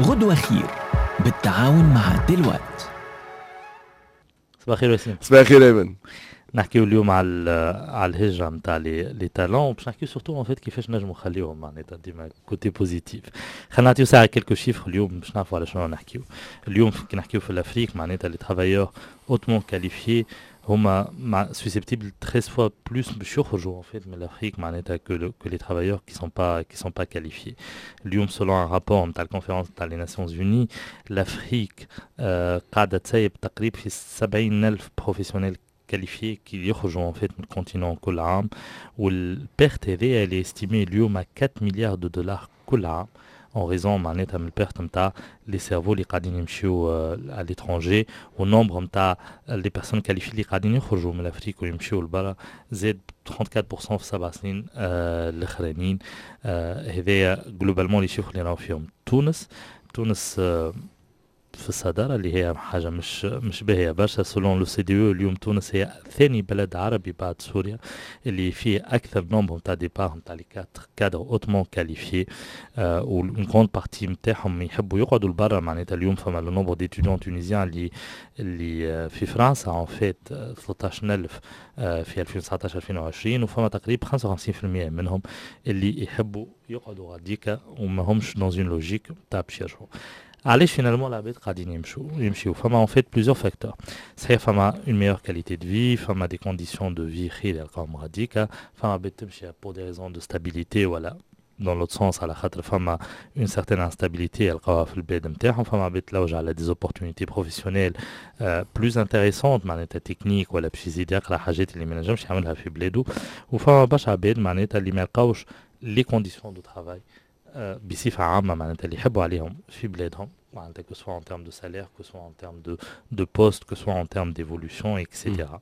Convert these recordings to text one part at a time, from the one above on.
غدوة خير بالتعاون مع Deloitte. صباح الخير وسيم. صباح الخير ايمن. نحكيو اليوم على الهجرة نتاع les talents، باش نحكيو surtout en fait كيفاش نجمو نخليوهم، معناتها ديما côté positif. خلينا نعطيو ساعة quelques chiffres اليوم باش نعرفوا على شنو نحكيو. اليوم كي نحكيو في l'Afrique، معناتها les travailleurs hautement qualifiés هما susceptibles 13 fois plus باش يخرجوا en fait من l'Afrique معناتها que les travailleurs qui sont pas qualifiés. اليوم selon un rapport نتاع ال conférence نتاع les Nations Unies، l'Afrique قاعدة تسيب تقريبا في 70 ألف professionnels qualifiés qui يخرجوا en fait من ال continent كل عام، وال perte هذه elle est estimée اليوم à 4 milliards de dollars كل عام en raison معناتها من ال perte نتاع les cerveaux اللي قاعدين يمشيو à l'étranger. وال nombre نتاع les personnes qualifiées اللي قاعدين يخرجوا من l'Afrique ويمشيو لبرا زاد 34% في 7 سنين الاخرانيين. هذايا globalement les chiffres اللي راهو فيهم. تونس في الصدارة، اللي هي حاجة مش باهية برشا. selon l'OCDE، اليوم تونس هي ثاني بلد عربي بعد سوريا اللي فيه أكثر nombre نتاع départs نتاع les cadres hautement qualifiés، و une grande partie نتاعهم يحبوا يقعدوا لبرا. معناتها اليوم فما le nombre d'étudiants tunisiens اللي في فرنسا en fait 13000 في 2019 2020، وفما تقريبا 55% منهم اللي يحبوا يقعدوا غاديكا وما همش dans une logique تاع باش يرجعوا. علاش finalement العباد قاعدين يمشيو؟ فما en fait plusieurs facteurs. صحيح فما une meilleure qualité de vie، فما des conditions de vie خير يلقاهم غاديكا. فما عباد تمشي pour des raisons de stabilité ولا dans l'autre sens على خاطر فما une certaine instabilité يلقاوها في البلاد نتاعهم. فما عباد تلوج على des opportunités professionnelles plus intéressantes، معناتها تكنيك ولا باش يزيد يقرا حاجات اللي ما نجمش يعملها في بلادو. وفما برشا عباد معناتها اللي ما يلقاوش les conditions de travail بصفة عامة معناتها اللي يحبوا عليهم في بلادهم، معناتها que ce soit en termes de salaire، que ce soit en termes de poste، que ce soit en termes d'évolution et cetera.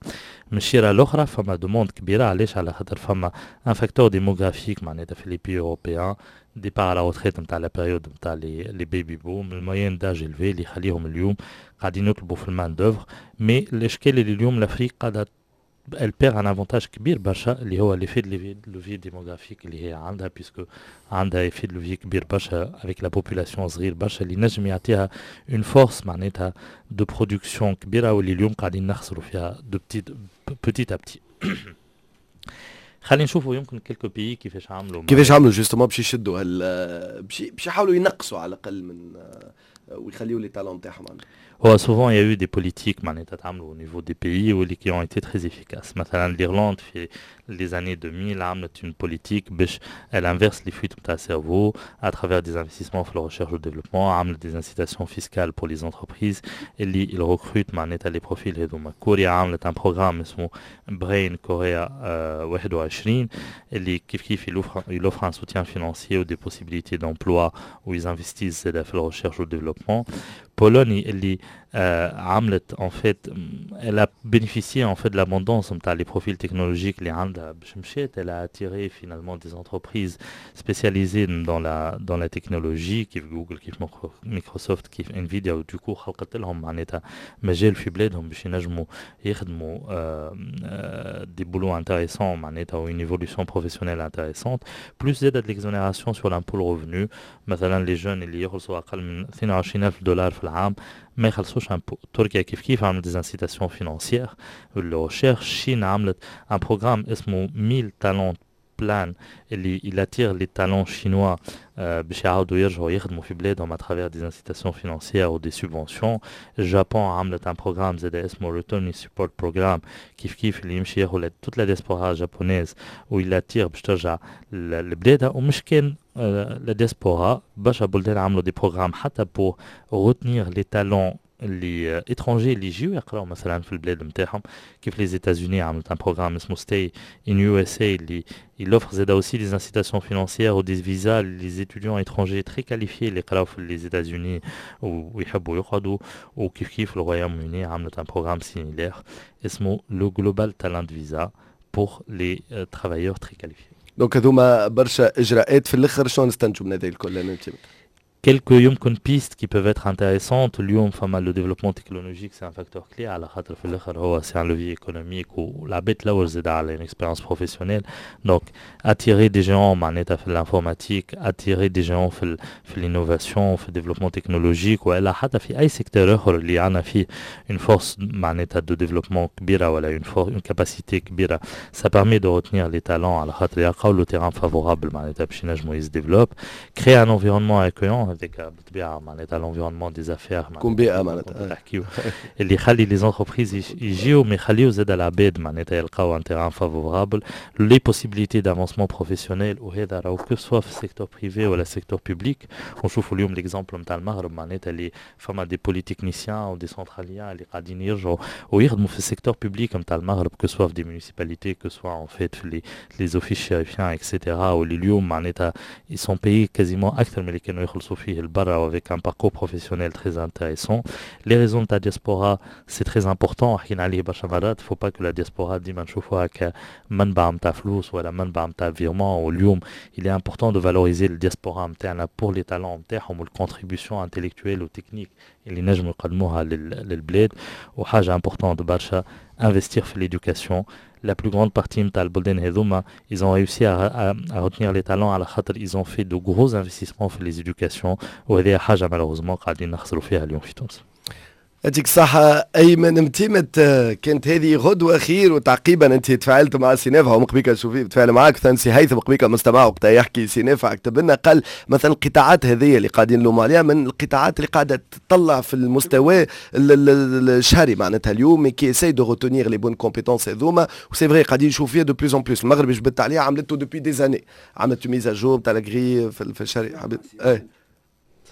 من الشيرة الأخرى فما demande كبيرة. علاش؟ على خاطر فما un facteur démographique، معناتها في les pays européens départ à la retraite نتاع la période نتاع les baby boom، ال moyenne d'âge élevée اللي يخليهم اليوم قاعدين يطلبوا في ال main d'œuvre. mais الاشكال اللي اليوم l'Afrique قاعدة elle perd un avantage كبير برشا اللي هو l'effet de levier démographique اللي هي عندها، puisque عندها effet de levier كبير برشا avec la population صغير برشا اللي نجم يعطيها une force معناتها de production كبيره، واللي اليوم قاعدين نخسروا فيها de petit petit à petit. خلينا نشوفوا يمكن quelques pays كيفاش عملوا. كيفاش عملوا justement باش يشدوا هال باش يحاولوا ينقصوا على الاقل من ويخليوا les talents تاعهم؟ هو souvent il y a eu des politiques معناتها تعملوا au niveau des pays واللي qui ont été très efficaces. مثلا l'Irlande في les années 2000 عملت une politique باش elle inverse les fuites نتاع cerveau à travers des investissements في la recherche et le développement، عملت des incitations fiscales pour les entreprises اللي ils recrutent معناتها les profils هذوما. كوريا عملت un programme اسمه Brain Korea 21 اللي كيف كيف il offre un soutien financier ou des possibilités d'emploi où ils investissent في la recherche et le développement. Pologne اللي عملت en fait elle a bénéficié en fait de l'abondance نتاع les profils technologiques اللي عندها باش مشات elle a attiré finalement des entreprises spécialisées dans la technologie كيف جوجل، كيف مايكروسوفت، كيف Nvidia، و du coup خلقت لهم معناتها مجال في بلادهم باش ينجموا يخدموا des boulots intéressants معناتها و une évolution professionnelle intéressante، plus زادت l'exonération sur l'impôt le revenu. مثلا les jeunes اللي يخلصوا اقل من 22 ألف دولار في العام ما يخلصوش impôt. تركيا كيف كيف عملت des incitations financières لل recherche. Chine عملت un programme اسمه 1000 talents plan اللي il attire les talents chinois باش يعاودوا يرجعوا يخدموا في بلادهم à travers des incitations financières ou des subventions. ال Japon عملت un programme زاد اسمه Return Support Program، كيف كيف اللي يمشي ياخذ toute la diaspora japonaise و il l'attire باش ترجع لبلادها. ومش كان la diaspora، برشا بلدان عملوا des programmes حتى pour retenir les talents اللي étrangers اللي يجيو يقراو مثلا في البلاد نتاعهم، كيف les États-Unis عملت un programme اسمه Stay in USA اللي il offre زادا aussi des incitations financières ou des visas les étudiants étrangers très qualifiés اللي يقراو في les États-Unis ويحبوا يقعدوا. وكيف كيف ال Royaume-Uni عملت un programme similaire اسمه le Global Talent Visa pour les travailleurs très qualifiés. donc هذوما برشا اجراءات. في الاخر شنو نستنتجوا من هذه الكل؟ كان Quelques يمكن pistes qui peuvent être intéressantes. اليوم فما le développement technologique، c'est un facteur clé على خاطر في الاخر هو c'est un levier économique، والعباد تلوج زاد على une expérience professionnelle. donc attirer des géants معناتها في l'informatique، attirer des géants في l'innovation، في ال développement technologique، والا حتى في اي secteur اخر اللي عندنا فيه une force معناتها de développement كبيرة ولا une capacité كبيره، ça permet de retenir les talents على خاطر يلقاو le terrain favorable معناتها باش ينجموا يse développent. créer un environnement accueillant، هذاك بالطبيعة معناتها l'environnement des affaires. تكون بيئة معناتها. تحكيو اللي يخلي les entreprises يجيو، ما يخليو زاد العباد معناتها يلقاو un terrain favorable، les possibilités d'avancement professionnel. وهذا راهو que ce soit في ال secteur privé ولا secteur public. ونشوفوا اليوم l'exemple نتاع المغرب، معناتها اللي فما des polytechniciens و des centraliens اللي قاعدين يرجعوا ويخدموا في ال secteur public نتاع المغرب، que ce soit في des municipalités، que ce soit en fait في les offices chérifiens et cetera، واللي اليوم معناتها ils sont payés quasiment اكثر من اللي كانوا يخلصوا فيه البرا، avec un parcours professionnel très intéressant. Les réseaux de la diaspora، c'est très important، حكينا عليه برشا مرات. faut pas que la diaspora ديما نشوفوها كمنبع نتاع فلوس ولا منبع نتاع virement. واليوم il est important de valoriser la diaspora نتاعنا pour les talents نتاعهم وال contribution intellectuelle و technique اللي نجموا يقدموها للبلاد. وحاجه importante برشا، investir في l'éducation. la plus grande partie نتاع البلدان هذوما ils ont réussi à retenir les talents على خاطر ils ont fait de gros investissements في les éducations، وهذه حاجة malheureusement قاعدين نخسروا فيها اليوم في تونس. يعطيك الصحة أيمن متيمت. كانت هذه غدوة خير. وتعقيبا، أنت تفاعلت مع سي نافع ومقبيك شوفي تفاعل معك ثاني سي هيثم قبيك مستمع، وقتها يحكي سي نافع كتب لنا قال مثلا القطاعات هذه اللي قاعدين نلوموا عليها من القطاعات اللي قاعدة تطلع في المستوى الشهري معناتها اليوم، qui essaie de retenir les bonnes compétences هذوما. و c'est vrai قاعدين نشوف فيها de plus en plus. المغرب جبدت عليها، عملته depuis des années، عملت mise à jour تاع la grille في الشهري، ايه.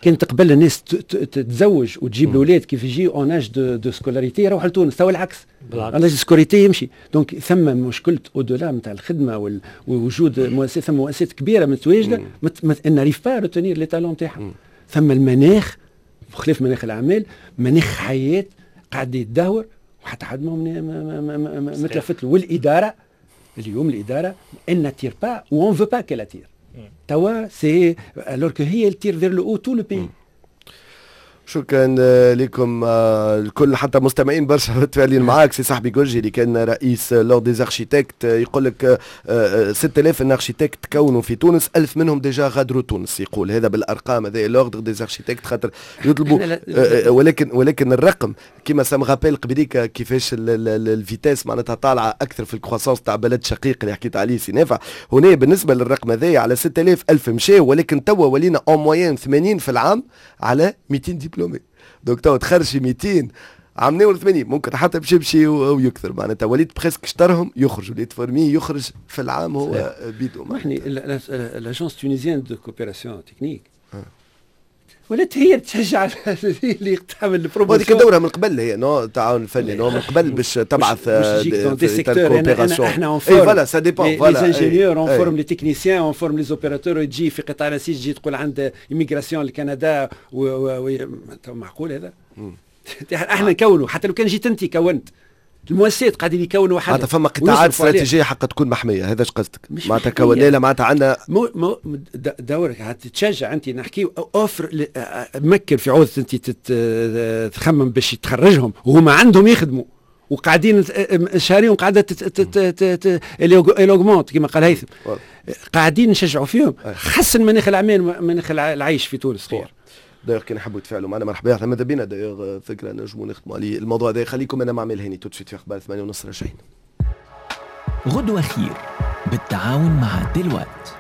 كانت قبل الناس تتزوج وتجيب الاولاد، كيف يجي en âge de scolarité يروح لتونس. تو العكس، en âge scolarité يمشي. donc ثم مشكلة au-delà نتاع الخدمة ووجود مؤسسات، ثم مؤسسات كبيرة متواجدة n'arrive pas à retenir les talents نتاعها. ثم المناخ، بخلاف مناخ الاعمال، مناخ حياة قاعد يتدهور وحتى حد ما متلفت له. والاداره، اليوم الادارة elle n'attire pas ou on veut pas qu'elle attire. توا c'est alors que هي tire vers le haut tout le pays. شكرا لكم الكل، حتى مستمعين برشا متفاعلين معاك. سي صاحبي جورجي اللي كان رئيس l'ordre des architectes يقول لك 6000 architectes تكونوا في تونس، 1000 منهم déjà غادروا تونس. يقول هذا بالارقام، هذا l'ordre des architectes خاطر يطلبوا، ولكن الرقم كيما ça me rappelle قبليك كيفاش ال vitesse معناتها طالعه اكثر في ال croissance تاع بلد شقيق اللي حكيت عليه سي نافع. هنا بالنسبة للرقم هذايا، على 6000 1000 مشاو، ولكن توا ولينا en moyenne 80 في العام على 200 diplômés. donc توا تخرجي 200، عملنا 80، ممكن حتى باش يمشي ويكثر. معناتها وليت presque شطرهم يخرج، وليت formé يخرج في العام هو بيدو. احنا l'agence tunisienne de coopération technique ولات هي تشجع اللي تعمل ال promotion. هذيك دورها من قبل هي، non؟ التعاون الفني، non؟ من قبل باش تبعث des secteurs. احنا on forme voilà، ça dépend. voilà، les ingénieurs، on forme les techniciens، on forme les opérateurs. تجي في قطاع نسيج، تجي تقول عند immigration لكندا، معقول هذا؟ احنا نكونوا، حتى لو كان جيت انت كونت، المؤسسات قاعدين يكونوا. وحدها معناتها فما قطاعات استراتيجية حق تكون محميه، هذا ايش قصدك؟ معناتها كونا معناتها عندنا مو دورك تشجع انت، نحكي offre، مكن في عوض انت تخمم باش تخرجهم وهما عندهم يخدموا وقاعدين شهريهم قاعدة elle augmente كما قال هيثم، قاعدين نشجعوا فيهم. حسن مناخ الاعمال، مناخ العيش في تونس خير. d'ailleurs كان يحبوا يتفاعلوا معنا مرحبا، احنا ماذا بينا. d'ailleurs فكرة نجموا نخدموا عليه الموضوع هذا. خليكم انا مع هاني tout de suite في اخبار 8:30 راجعين. غدوة خير بالتعاون مع دلوقت.